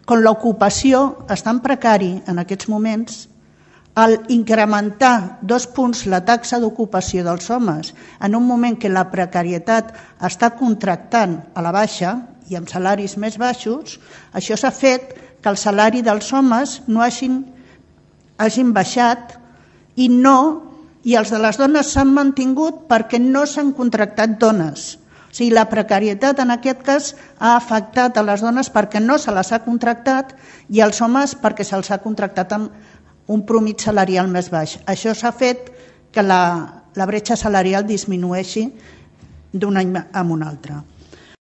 Com l'ocupació està en precari en aquests moments, al incrementar 2 punts la taxa d'ocupació dels homes en un moment que la precarietat està contractant a la baixa i amb salaris més baixos, això s'ha fet que el salari dels homes no hagin baixat i els de les dones s'han mantingut perquè no s'han contractat dones. O sigui, la precarietat en aquest cas ha afectat a les dones perquè no se les ha contractat i als homes perquè se'ls ha contractat amb un promig salarial més baix. Això s'ha fet que la bretxa salarial disminueixi d'un any a un altre.